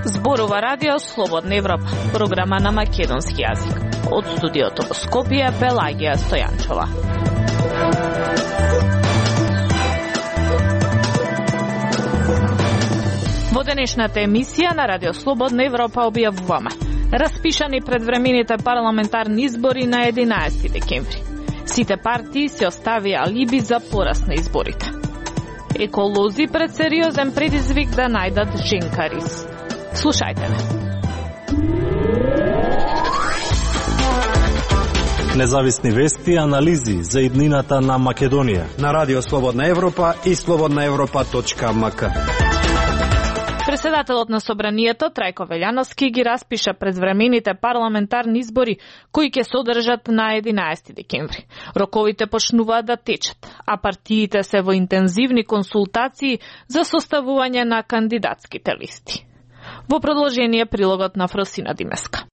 Зборува радио Слободна Европа, програма на македонски јазик. Од студиото во Скопје, Пелагија Стојанчова. Во денешната емисија на радио Слободна Европа објавуваме: распишани предвремените парламентарни избори на 11 декември. Сите партии се оставија алиби за пораст на изборите. Еколози пред сериозен предизвик да најдат женка рис. Слушајте ме. Независни вести и анализи за иднината на Македонија на радио Слободна Европа и slobodnaevropa.mk. Председателот на Собранието Трајко Велјановски ги распиша предвремените парламентарни избори кои ќе се одржат на 11 декември. Роковите почнуваат да течат, а партиите се во интензивни консултации за составување на кандидатските листи. Во продолжение прилогот на Фросина Димеска.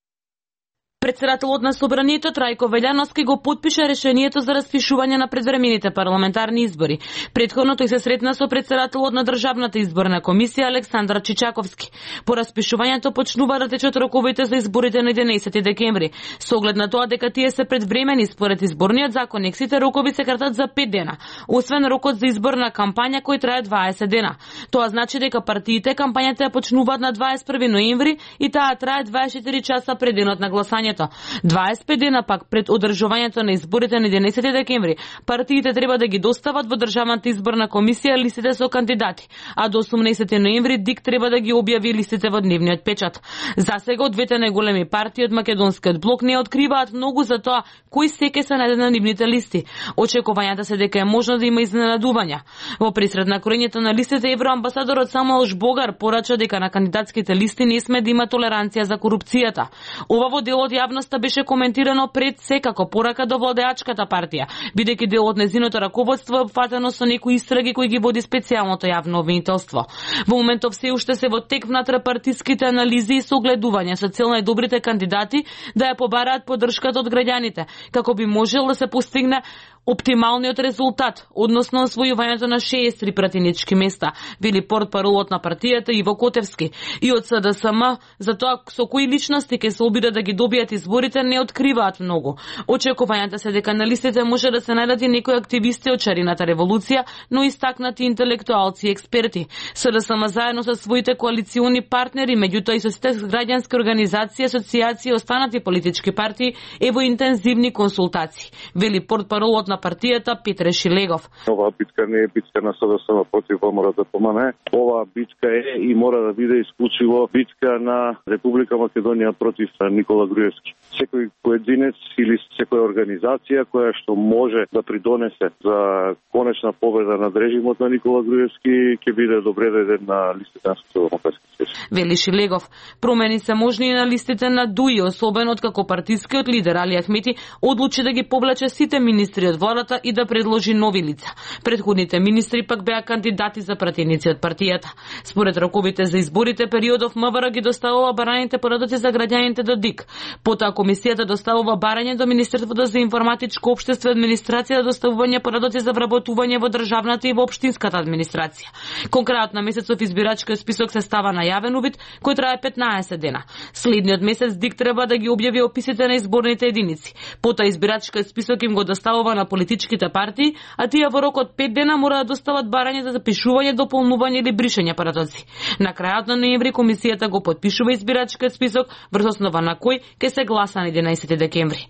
Председателот на Собранието Трајко Велјановски го потпиша решението за распишување на предвремените парламентарни избори. Претходно тој се сретна со председателот на Државната изборна комисија Александар Чичаковски. По распишувањето почнува да течат роковите за изборите на 11 декември. Со оглед на тоа дека тие се предвремени според изборниот законник, сите рокови се кратат за 5 дена, освен рокот за изборна кампања кој трае 20 дена. Тоа значи дека партиите кампањата ја почнуваат на 21 ноември и таа трае 24 часа пред денот на гласањето. 25 дена пак пред одржувањето на изборите на 11 декември, партиите треба да ги достават во Државната изборна комисија листите со кандидати, а до 18 ноември ДИК треба да ги објави листите во дневниот печат. Засега од двете најголеми партии од македонскиот блок не откриваат многу за тоа кои секи се најдат на нивните листи. Очекувањата се дека е можно да има изненадувања. Во пресред на кроењето на листите, евроамбасадорот Самуел Жбогар порача дека на кандидатските листи не сме да има толеранција за корупцијата. Ова во делот јавноста беше коментирано пред се како порака до владеачката партија, бидејќи дел од незиното раководство е опфатено со некои истраги кои ги води специјалното јавно обвинителство. Во моментов се уште се во тек внатрепартиските анализи и согледувања со цел најдобрите кандидати да ја побараат поддршката од граѓаните, како би можел да се постигне оптималниот резултат, односно освојувањето на 63 пратенички места, вели портпаролот на партијата Иво Котевски. И од СДСМ за тоа со кои личности ќе се обидат да ги добијат изборите не откриваат многу. Очекувањата се дека на листите може да се најдат и некои активисти од шарината револуција, но истакнати интелектуалци и експерти. СДСМ заедно со своите коалициони партнери, меѓутоа и со сите граѓански организации, асоциации и останати политички партии е во интензивни консултации, вели портпаролот на партијата Петре Шилегов. Оваа битка не е битка на СДСМ против ВМРО ДПМН. Оваа битка е и мора да биде исклучиво битка на Република Македонија против Никола Груевски. Секој поединец или секоја организација која што може да придонесе за конечна победа над режимот на Никола Груевски ќе биде добре дојден на листите на Социјалдемократскиот съюз. Вели Шилегов. Промени се можни и на листите на ДУИ, особено откако партискиот лидер Али Ахмети одлучи да ги повлече сите министри од владата и да предложи нови лица. Предходните министри пак беа кандидати за пратеници од партијата. Според роковите за изборите, периодов МВР ги доставува бараните порадоци за граѓаните до ДИК. Потоа комисијата доставува барање до Министерството за информатичко општество и администрација за доставување порадоци за вработување во државната и во општинската администрација. Конкретно на месецов избирачкиот список се става на јавен увид кој трае 15 дена. Следниот месец ДИК треба да ги објави описите на изборните единици. Потоа избирачкиот список им го доставува на политичките партии, а тие во рок од 5 дена мора да достават барање за запишување, дополнување или бришење порадоци. На крајот на ноември комисијата го потпишува избирачкиот список врз основа на кој ќе се гласа на 11 декември.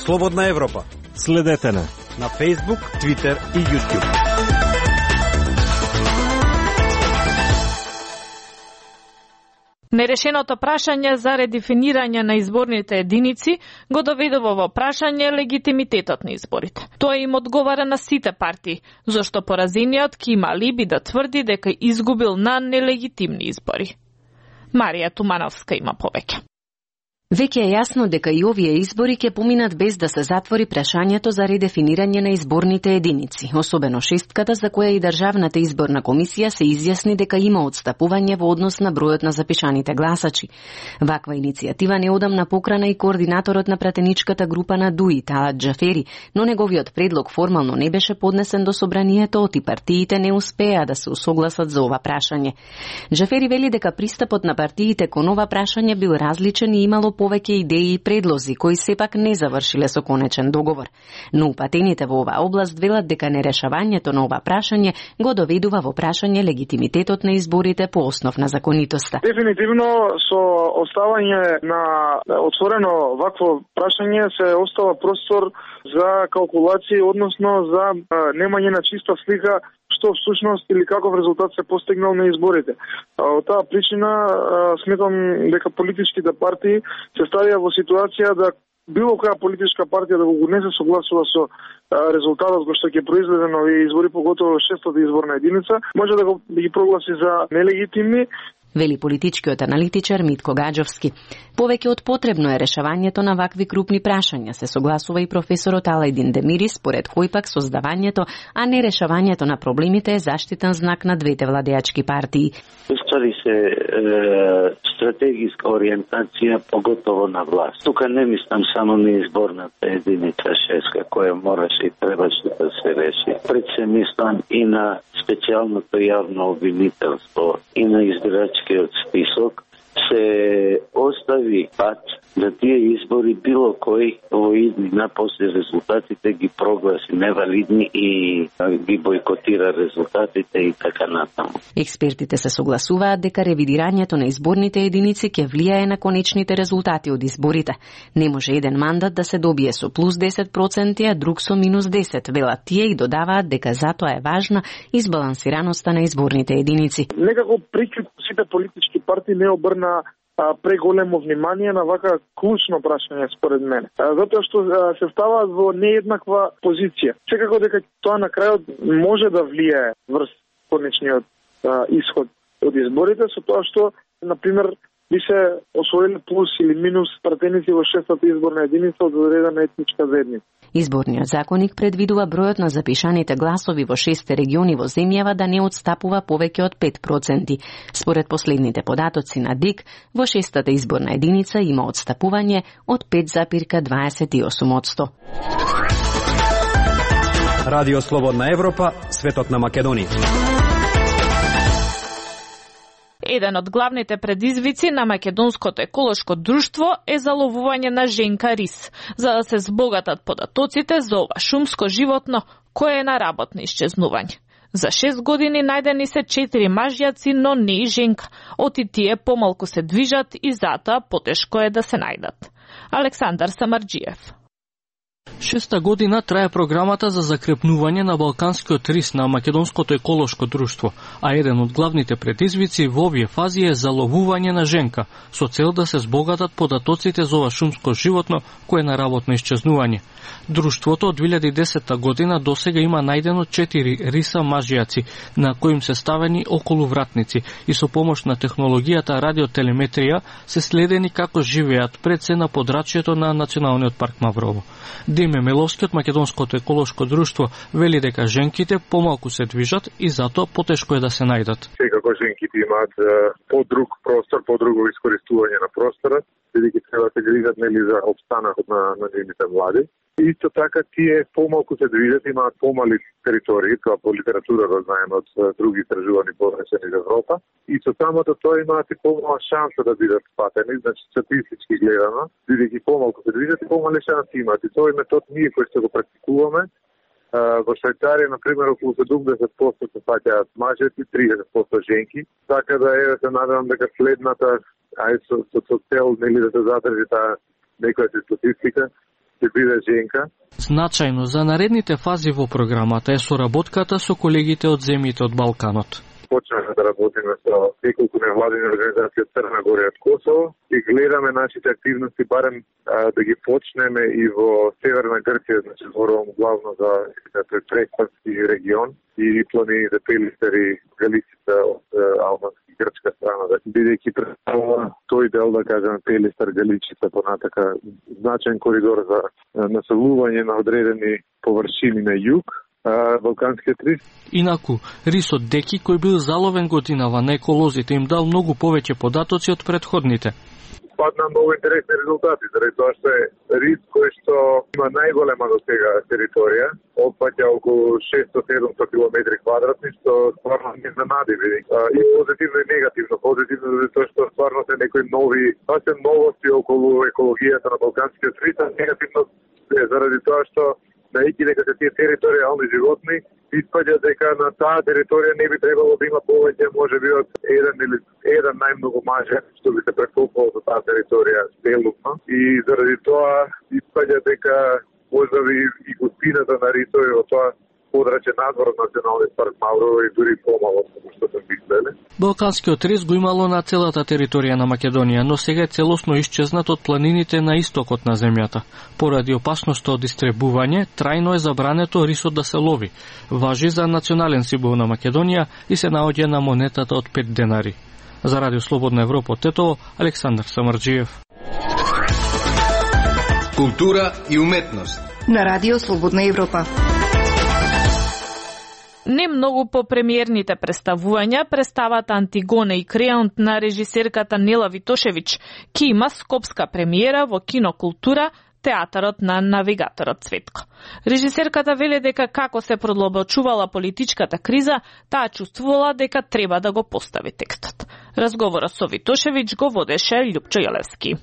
Слободна Европа. Следете на Facebook, Twitter и YouTube. Нерешеното прашање за редефинирање на изборните единици го доведува во прашање легитимитетот на изборите. Тоа им одговара на сите партии, зашто поразениот ќе има алиби да тврди дека изгубил на нелегитимни избори. Марија Тумановска има повеќе. Веќе е јасно дека и овие избори ќе поминат без да се затвори прашањето за редефинирање на изборните единици, особено шестката за која и Државната изборна комисија се изјасни дека има отстапување во однос на бројот на запишаните гласачи. Ваква иницијатива неодамна покрана и координаторот на пратеничката група на ДУИ, Талат Џафери, но неговиот предлог формално не беше поднесен до собранието, и партиите не успеа да се усогласат за ова прашање. Џафери вели дека пристапот на партиите кон ова прашање бил различен и имало повеќе идеи и предлози кои сепак не завршиле со конечен договор. Но упатените во оваа област велат дека нерешавањето на ова прашање го доведува во прашање легитимитетот на изборите по основ на законитоста. Дефинитивно со оставање на отворено вакво прашање се остава простор за калкулации, односно за немање на чиста слика што всушност или каков резултат се постигнал на изборите. Од таа причина сметам дека политичките партии се ставија во ситуација да било која политичка партија да го не се согласува со резултатот кој што ќе произведе на овие избори, поготово шестата изборна единица, може да ги прогласи за нелегитимни, вели политичкиот аналитичар Митко Гаджовски. Повеќе од потребно е решавањето на вакви крупни прашања, се согласува и професорот Алајдин Демири, според кој пак создавањето, а не решавањето на проблемите е заштитен знак на двете владеачки партии. Ствари се стратегиска ориентација, поготово на власт. Тука не мислам само на изборната единица шеска, која мораше и требаше да се реши. Пред се мислам и на специјалното јавно обвинителство и на избирачкиот список, се остави пат да тие избори било кој во иднина после резултатите ги прогласи невалидни и ги бојкотира резултатите и така натаму. Експертите се согласуваат дека ревидирањето на изборните единици ќе влијае на конечните резултати од изборите. Не може еден мандат да се добие со плюс 10%, а друг со минус 10%, велат тие и додаваат дека затоа е важна избалансираноста на изборните единици. Некако прикуп сите политички партии не обрна преголемо внимание на вака клучно прашање според мене. Затоа што се ставаат во нееднаква позиција. Секако дека тоа на крајот може да влијае врз конечниот исход од изборите, со тоа што, например, би се освоили плюс или минус пратеници во шестата изборна единица од одредена етничка заедница. Изборниот законник предвидува бројот на запишаните гласови во 6 региони во земјава да не отстапува повеќе од 5%. Според последните податоци на ДИК, во 6-та изборна единица има отстапување од 5,28%. Радио Слободна Европа, светот на Македонија. Еден од главните предизвици на Македонското еколошко друштво е заловување на женка рис, за да се збогатат податоците за ова шумско животно кое е на работно исчезнување. За 6 години најдени се 4 мажјаци, но не и женка. Оти тие помалку се движат и затоа потешко е да се најдат. Александар Самарџиев. 6 година трае програмата за закрепнување на балканскиот рис на Македонското еколошко друштво, а еден од главните предизвици во овие фази е заловување на женка, со цел да се збогатат податоците за ова шумско животно кое е на работно исчезнување. Друштвото од 2010 година досега има најдено 4 риса мажјаци, на кои им се ставени околу вратници и со помош на технологијата радиотелеметрија се следени како живеат пред се на подрачјето на Националниот парк Маврово. Диме Меловски од Македонското еколошко друштво вели дека женките помалку се движат и затоа потешко е да се најдат. Секако женките имаат подруг простор, подруго искористување на просторот, бидејќи треба да се грижат нели за опстанокот на нивните млади. Исто така тие помалку се движат, имаат помали територии, тоа по литература го знаеме од други истражувани поднесени во Европа, и со самото тоа имаат и помала шанса да бидат спатени, значи статистички гледано, бидејќи помалку се движат и помали шанси имаат. И тој метод ние кој што го практикуваме, во Швајцарија, например, околу 70% се фаќаат мажјаци, 30% женки, така да е, се надевам дека следната, со цел нели да се задржи таа некоја статистика, ќе биде женка. Значајно за наредните фази во програмата е соработката со колегите од земјите од Балканот. Почнахме да работиме со неколку невладини организации од Црна Гора и од Косово и гледаме нашите активности барем да ги почнеме и во Северна Грција, значи зборувам главно за Прекпански регион и планините Пелистери, Галицица од Албански грчка страна, бидејќи представува тој дел, да кажем, Пелистар, Галичица, понатака значаен коридор за населување на одредени површини на југ, Балканскиот рис. Инаку, рисот Деки, кој бил заловен годинава на еколозите, им дал многу повеќе податоци од предходните. Падна многу интересни резултати, заради тоа што е рис кој што има најголема до сега територија, опфаќа околу 600-700 километри квадратни, што стварно не изненади, и позитивно и негативно. Позитивно затоа што стварно се некои нови, се новости околу екологијата на Балканскиот рис, а негативно е заради тоа што најки дека се тие територијални животни, испаѓа дека на таа територија не би требало да има повеќе, можеби од еден најмногу маже што би се прекопувал за таа територија целосно, и заради тоа испаѓа дека можеби и густината на рисови во тоа подрачје надвор од Националниот парк Маврово и дури помало што се мислеле. Балканскиот рис го имало на целата територија на Македонија, но сега е целосно исчезнат од планините на истокот на земјата. Поради опасноста од истребување, трајно е забрането рисот да се лови. Важи за национален символ на Македонија и се наоѓа на монетата од 5 денари. За Радио Слободна Европа од Тетово, Александар Самарџиев. Култура и уметност на Радио Слободна Европа. Не многу по премиерните представувања, представата Антигона и Креонт на режисерката Нела Витошевиќ, ки има скопска премиера во Кино Култура, театарот на навигаторот Цветко. Режисерката веле дека како се продлабочувала политичката криза, таа чувствувала дека треба да го постави текстот. Разговорот со Витошевиќ го водеше Љупчо Јелевски.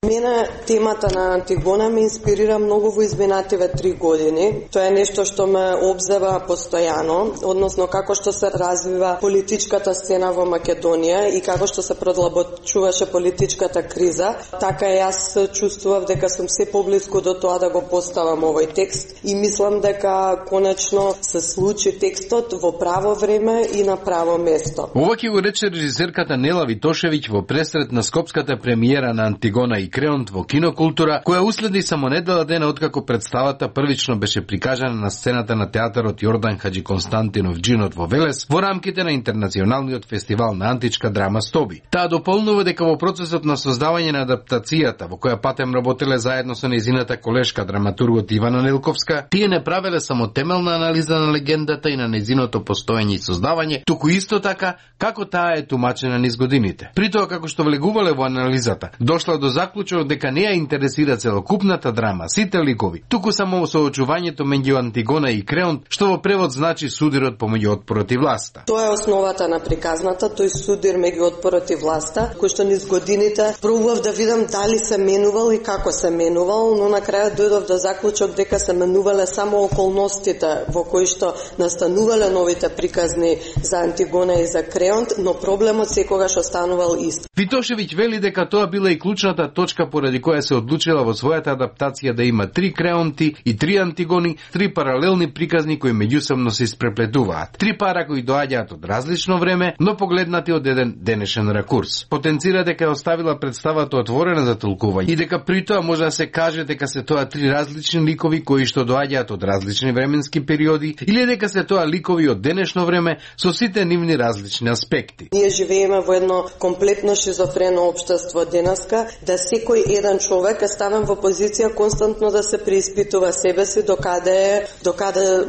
Мене темата на Антигона ме инспирира многу во изминативе 3 години. Тоа е нешто што ме обзева постојано, односно како што се развива политичката сцена во Македонија и како што се продлабочуваше политичката криза. Така и јас чувствував дека сум се поблиску до тоа да го поставам овој текст и мислам дека конечно се случи текстот во право време и на право место. Ова ќе го рече режисерката Нела Витошевиќ во пресрет на скопската премиера на Антигона и Креонт во Кино Култура, која уследи само недела дена откако представата првично беше прикажана на сцената на театарот Јордан Хаджи Константинов Джинот во Велес во рамките на Интернационалниот фестивал на античка драма Стоби. Таа дополнува дека во процесот на создавање на адаптацијата, во која патем работеле заедно со нејзината колешка драматургот Ивана Нелковска, тие не правеле само темелна анализа на легендата и на нејзиното постоење и создавање, туку исто така како таа е тумачена низ годините. При тоа како што влегувале во анализата, дошла до заклучок дека не ја интересира целокупната драма, сите ликови, туку само соочувањето меѓу Антигона и Креонт, што во превод значи судирот помеѓу отпорот и власта. Тоа е основата на приказната, тој судир меѓу отпорот и власта, кој што низ годините пробував да видам дали се менувал и како се менувал, но на крајот дојдов до заклучок дека се менувале само околностите во кои што настанувале новите приказни за Антигона и за Креонт, но проблемот секогаш останувал ист. Витошевиќ вели дека тоа била и клучната точка поради која се одлучила во својата адаптација да има 3 Креонти и 3 Антигони, 3 паралелни приказни кои меѓусебно се испреплетуваат. 3 пара кои доаѓаат од различно време, но погледнати од еден денешен ракурс. Потенцира дека е оставила представата отворена за толкување и дека при тоа може да се каже дека се тоа 3 различни ликови кои што доаѓаат од различни временски периоди или дека се тоа ликови од денешно време со сите нивни различни аспекти. Ние живееме во едно комплетно шизофрено општество денеска, да секој еден човек е ставен во позиција константно да се преиспитува себе си, докаде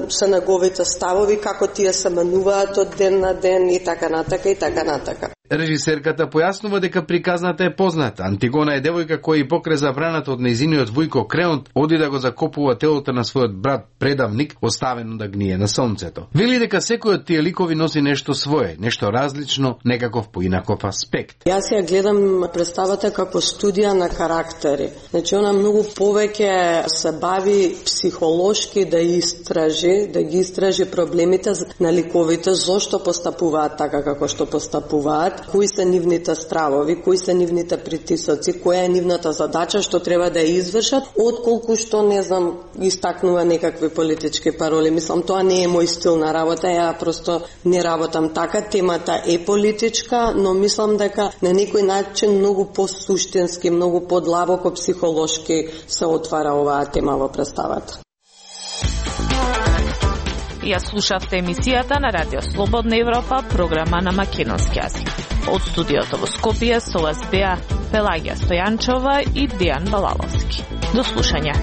се неговите ставови, како тие се менуваат од ден на ден и така натака и така натака. Режисерката појаснува дека приказната е позната. Антигона е девојка која и покрај забраната од нејзиниот војко Креонт оди да го закопува телото на својот брат предавник, оставено да гние на сонцето. Вели дека секој од тие ликови носи нешто свое, нешто различно, некаков поинаков аспект. Јас ја гледам представата како студија на карактери. Значи она многу повеќе се бави психолошки да ги истражи проблемите на ликовите, зошто постапуваат така како што постапуваат, кои се нивните стравови, кои се нивните притисоци, која е нивната задача што треба да ја извршат, отколку што истакнува некакви политички пароли. Мислам, тоа не е мој стил на работа, ја просто не работам така. Темата е политичка, но мислам дека на некој начин многу посуштински, многу подлабоко психолошки се отвара оваа тема во представата. Ја слушавте емисијата на Радио Слободна Европа, програма на македонски јазик. Од студиото во Скопје со вас беа Пелагија Стојанчова и Дијан Балаловски. До слушање.